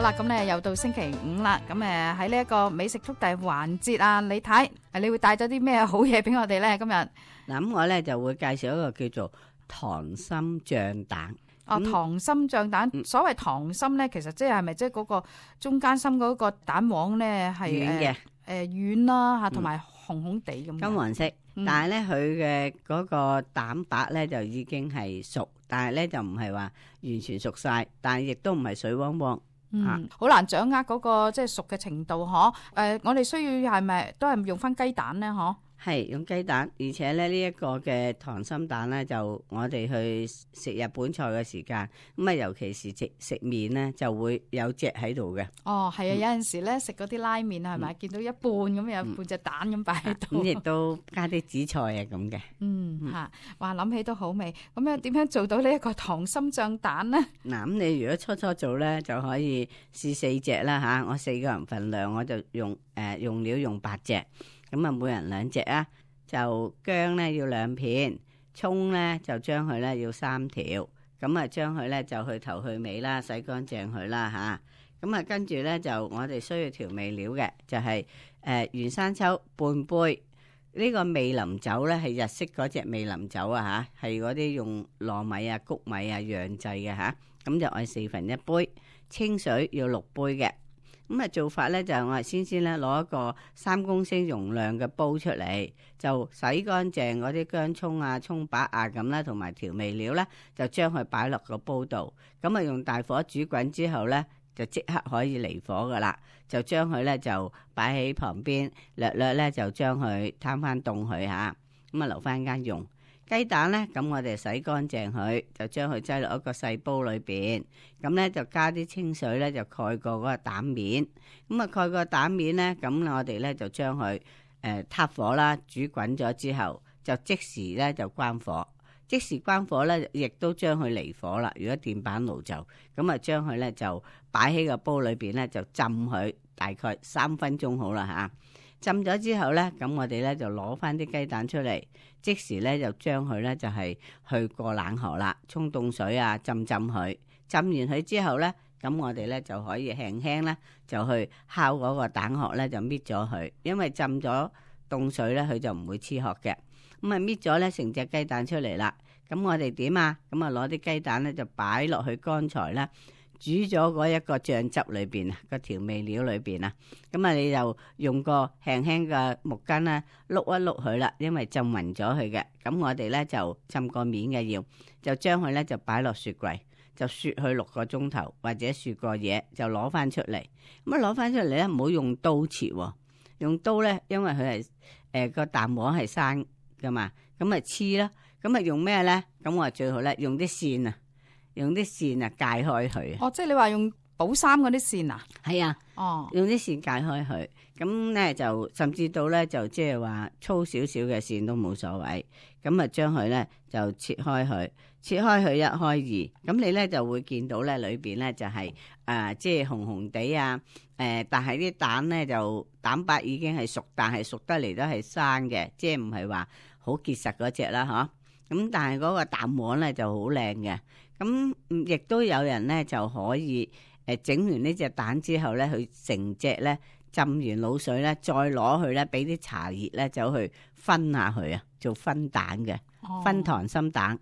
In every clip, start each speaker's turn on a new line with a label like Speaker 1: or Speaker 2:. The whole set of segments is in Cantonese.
Speaker 1: 啦，咁咧又到星期五啦，咁喺呢一個美食速遞環節啊，李太，你會帶咗啲咩好嘢俾我哋咧？今日
Speaker 2: 嗱，咁我咧就會介紹一個叫做溏心醬蛋。
Speaker 1: 溏心醬蛋，所謂溏心咧，其實即係咪即係嗰個中間心嗰個蛋黃咧係
Speaker 2: 軟嘅，
Speaker 1: 軟啦嚇，同埋紅紅地咁。
Speaker 2: 金黃色，但係咧佢嘅嗰個蛋白咧就已經係熟，但係咧就唔係話完全熟晒，但係亦都唔係水汪汪。
Speaker 1: 好難掌握嗰個即係熟嘅程度嗬。我哋需要係咪都係用翻雞蛋咧？嗬，係
Speaker 2: 用雞蛋，而且咧呢一個嘅溏心蛋咧，就我哋去食日本菜嘅時間，咁啊尤其是食麵咧，就會有隻喺度嘅。哦，係啊，有陣時咧食嗰啲拉麵係咪見到一半咁有半隻蛋咁擺喺度？咁亦都加啲紫菜啊咁嘅。
Speaker 1: 話諗起都好味。咁樣點樣做到呢一個溏心醬蛋咧？
Speaker 2: 嗱，咁你如果初初做咧，就可以試4隻啦吓。我4個人份量，我就用料用8隻。咁啊，每人2隻啊，就薑咧要2片，蔥咧就將佢咧要3條，咁啊將佢咧就去頭去尾啦，洗乾淨佢啦吓。咁啊跟住咧就我哋需要調味料嘅，就係原生抽半杯，呢個味淋酒咧係日式嗰隻味淋酒啊吓，係嗰啲用糯米啊、穀米啊釀製嘅吓，咁就愛1/4杯，清水要6杯嘅。咁啊做法咧就係我哋先咧攞一個3公升容量嘅煲出嚟，就洗乾淨嗰啲薑蔥啊、蔥白啊咁啦，同埋調味料咧，就將佢擺落個煲度。咁啊用大火煮滾之後咧，就即刻可以離火噶啦。就將佢咧就擺喺旁邊，略咧就將佢攤翻凍佢吓，咁啊留翻間用。雞蛋咧，咁我哋洗乾淨佢，就將佢擠落一個細煲裏邊，咁咧就加啲清水咧，就蓋過嗰個蛋面，咁啊蓋過蛋面咧，咁我哋咧就將佢撻火啦，煮滾咗之後，就即時咧就關火，即時關火咧，亦都將佢離火啦。如果電板爐就咁啊，將佢咧就擺喺個煲裏邊咧，就浸佢大概3分鐘好啦吓。浸咗之後咧，咁我哋咧就攞翻啲雞蛋出嚟，即時咧就將佢咧就係去過冷河啦，沖凍水啊浸佢，浸完佢之後咧，咁我哋咧就可以輕輕咧就去敲嗰個蛋殼咧就搣咗佢，因為浸咗凍水咧佢就唔會黐殼嘅。咁啊搣咗咧成隻雞蛋出嚟啦，咁我哋點啊？咁啊攞啲雞蛋咧就擺落去剛才咧煮咗嗰一個醬汁裏邊啊，個調味料裏邊啊，咁啊你就用個輕輕嘅木棍咧碌一碌佢啦，因為浸勻咗佢嘅。咁我哋咧就浸個面嘅要，就將佢咧就擺落雪櫃，就雪去6個鐘頭或者雪過夜，就攞翻出嚟。咁啊攞翻出嚟咧，唔好用刀切，用刀咧，因為佢係個蛋黃係生噶嘛，咁啊黐啦。咁啊用咩咧？咁我最好咧用啲線啊。用啲線啊，界開佢。
Speaker 1: 哦，即係你話用補衫嗰啲線啊？
Speaker 2: 係啊。哦，用啲線界開佢，咁咧就甚至到咧就即係話粗少少嘅線都冇所謂。咁啊將佢咧就切開佢，切開佢1開2，咁你咧就會見到咧裏邊咧就係即係紅紅地啊。但係啲蛋咧就蛋白已經係熟，但係熟得嚟都係生嘅，即係唔係話好結實嗰隻啦，嗬。咁但係嗰個蛋黃咧就好靚嘅。咁亦都有人咧就可以整完呢隻蛋之後咧，佢成隻咧浸完滷水咧，再攞去咧俾啲茶葉咧走去分下佢啊，做分蛋嘅。分溏心蛋。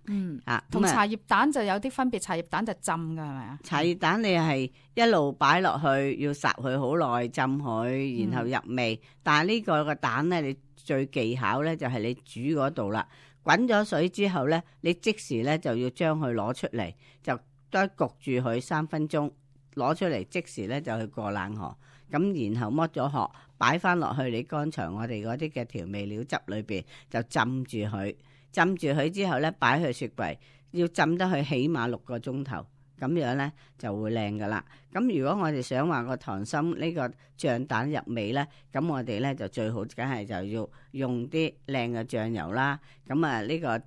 Speaker 2: 同
Speaker 1: 茶葉蛋就有啲分別，茶葉蛋就浸㗎係咪啊？
Speaker 2: 茶葉蛋你係一路擺落去，要烚佢好耐，浸佢，然後入味。但係呢個蛋咧，你最技巧咧就係你煮嗰度啦。滾咗水之後咧，你即時咧就要將佢攞出嚟，就都焗住佢3分鐘，攞出嚟即時咧就去過冷河，咁然後剝咗殼，擺翻落去你剛才我哋嗰啲嘅調味料汁裏邊，就浸住佢，浸住佢之後咧擺去雪櫃，要浸得佢起碼6個鐘頭。咁樣咧就會靚噶啦。咁如果我哋想話個溏心呢個醬蛋入味咧，咁我哋咧就最好梗係就要用啲靚嘅醬油啦。咁啊呢個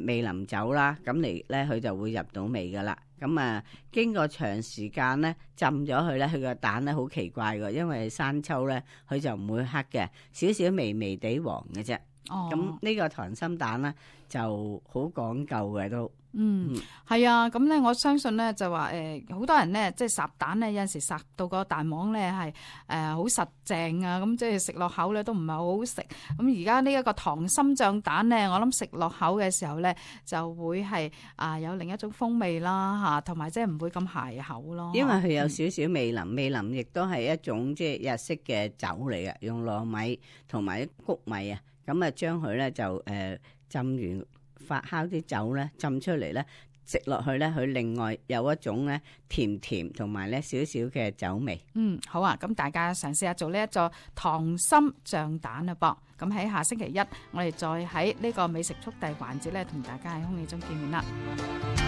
Speaker 2: 味淋酒啦，咁嚟咧佢就會入到味噶啦。咁啊經過長時間咧浸咗佢咧，佢個蛋咧好奇怪嘅，因為生抽咧佢就唔會黑嘅，少少微微地黃嘅啫。咁呢個溏心蛋咧就好講究嘅都。
Speaker 1: 係啊，咁咧我相信咧就話好多人咧即係烚蛋咧，有陣時烚到個蛋黃咧係好實淨啊，咁即係食落口咧都唔係好好食。咁而家呢一個溏心醬蛋咧，我諗食落口嘅時候咧就會係有另一種風味啦嚇，同埋即係唔會咁鞋口咯。
Speaker 2: 因為佢有少少味淋，味淋亦都係一種即係日式嘅酒嚟嘅，用糯米同埋谷米啊，咁啊將佢咧就浸完發酵啲酒咧浸出嚟咧，食落去咧佢另外有一種咧甜甜同埋咧少少嘅酒味。
Speaker 1: 好啊，咁大家嘗試下做呢一座溏心醬蛋啦噃。咁喺下星期一，我哋再喺呢個美食速遞環節咧，同大家喺空氣中見面啦。